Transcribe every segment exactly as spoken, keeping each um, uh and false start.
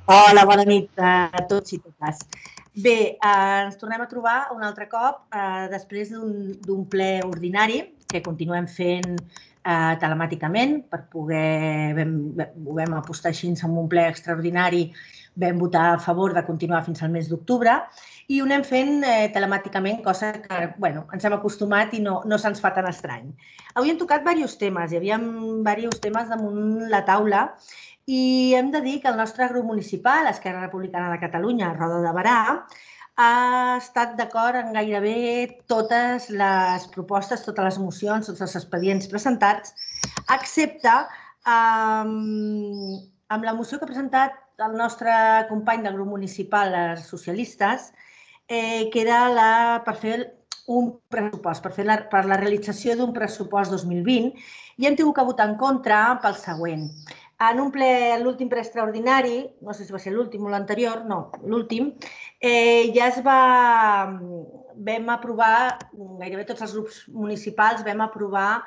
Hola, bona nit a tots i totes. Bé, ens tornem a trobar un altre cop després d'un ple ordinari que continuem fent telemàticament per poder, ho vam apostar així en un ple extraordinari, vam votar a favor de continuar fins al mes d'octubre i ho anem fent telemàticament, cosa que ens hem acostumat i no se'ns fa tan estrany. Avui hem tocat diversos temes, hi havia diversos temes damunt la taula i hem de dir que el nostre grup municipal, Esquerra Republicana de Catalunya, Roda de Berà, ha estat d'acord en gairebé totes les propostes, totes les mocions, tots els expedients presentats, excepte amb la moció que ha presentat el nostre company del grup municipal, els socialistes, que era per fer un pressupost, per la realització d'un pressupost dos mil vint, i hem tingut que votar en contra pel següent. En un ple, l'últim ple extraordinari, no sé si va ser l'últim o l'anterior, no, l'últim, ja es va, vam aprovar, gairebé tots els grups municipals vam aprovar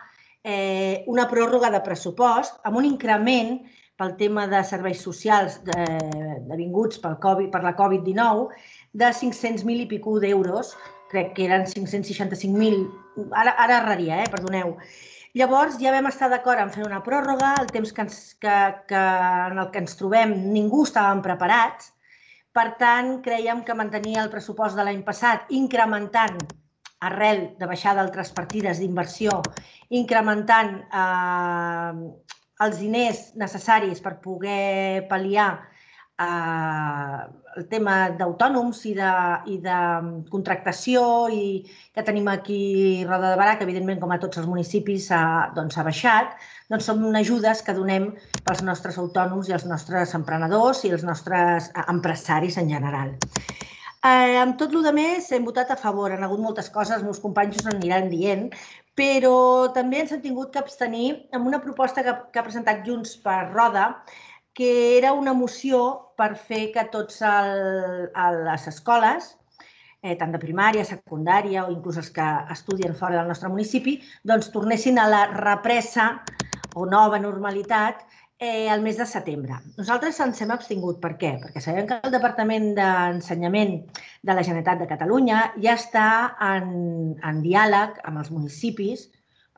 una pròrroga de pressupost amb un increment pel tema de serveis socials devinguts per la Covid dinou de cinc-cents mil i pico d'euros, crec que eren cinc-cents seixanta-cinc mil, ara erraria, perdoneu. Llavors ja vam estar d'acord en fer una pròrroga, el temps en el que ens trobem ningú estàvem preparats, per tant creiem que mantenir el pressupost de l'any passat incrementant arrel de baixar d'altres partides d'inversió, incrementant els diners necessaris per poder pal·liar el tema d'autònoms i de contractació que tenim aquí a Roda de Berà, que evidentment com a tots els municipis ha baixat, doncs són ajudes que donem pels nostres autònoms i els nostres emprenedors i els nostres empresaris en general. Amb tot el rest hem votat a favor, han hagut moltes coses, els meus companys us aniran dient, però també ens hem tingut que abstenir amb una proposta que ha presentat Junts per Roda, que era una moció per fer que totes les escoles, tant de primària, secundària o inclús els que estudien fora del nostre municipi, doncs tornessin a la represa o nova normalitat el mes de setembre. Nosaltres ens hem abstingut. Per què? Perquè sabem que el Departament d'Ensenyament de la Generalitat de Catalunya ja està en diàleg amb els municipis,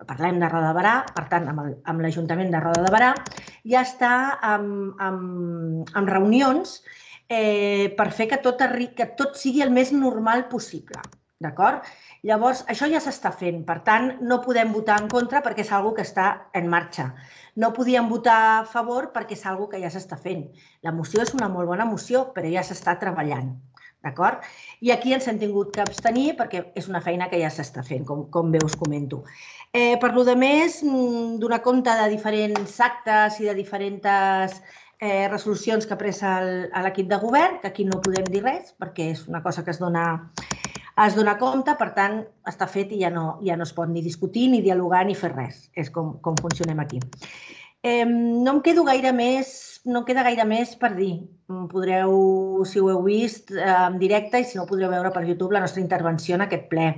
parlem de Roda de Berà, per tant, amb l'Ajuntament de Roda de Berà, ja està en reunions per fer que tot sigui el més normal possible. D'acord? Llavors, això ja s'està fent. Per tant, no podem votar en contra perquè és una cosa que està en marxa. No podíem votar a favor perquè és una cosa que ja s'està fent. La moció és una molt bona moció, però ja s'està treballant. D'acord? I aquí ens hem tingut que abstenir perquè és una feina que ja s'està fent, com bé us comento. Per la resta, donar compte de diferents actes i de diferents resolucions que ha pres l'equip de govern, que aquí no podem dir res perquè és una cosa que es dona compte, per tant, està fet i ja no es pot ni discutir, ni dialogar, ni fer res. És com funcionem aquí. No em quedo gaire més, no queda gaire més per dir. Podreu, si ho heu vist en directe i si no ho podreu veure per YouTube, la nostra intervenció en aquest ple.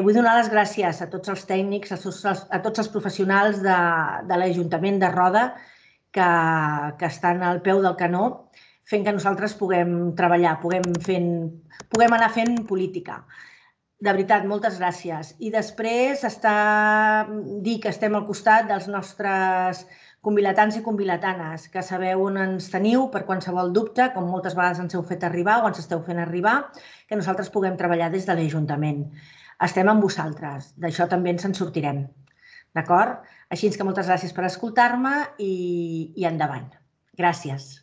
Vull donar les gràcies a tots els tècnics, a tots els professionals de l'Ajuntament de Roda que estan al peu del canó fent que nosaltres puguem treballar, puguem anar fent política. De veritat, moltes gràcies. I després dir que estem al costat dels nostres convilatans i convilatanes, que sabeu on ens teniu per qualsevol dubte, com moltes vegades ens heu fet arribar o ens esteu fent arribar, que nosaltres puguem treballar des de l'Ajuntament. Estem amb vosaltres, d'això també ens en sortirem. D'acord? Així que moltes gràcies per escoltar-me i endavant. Gràcies.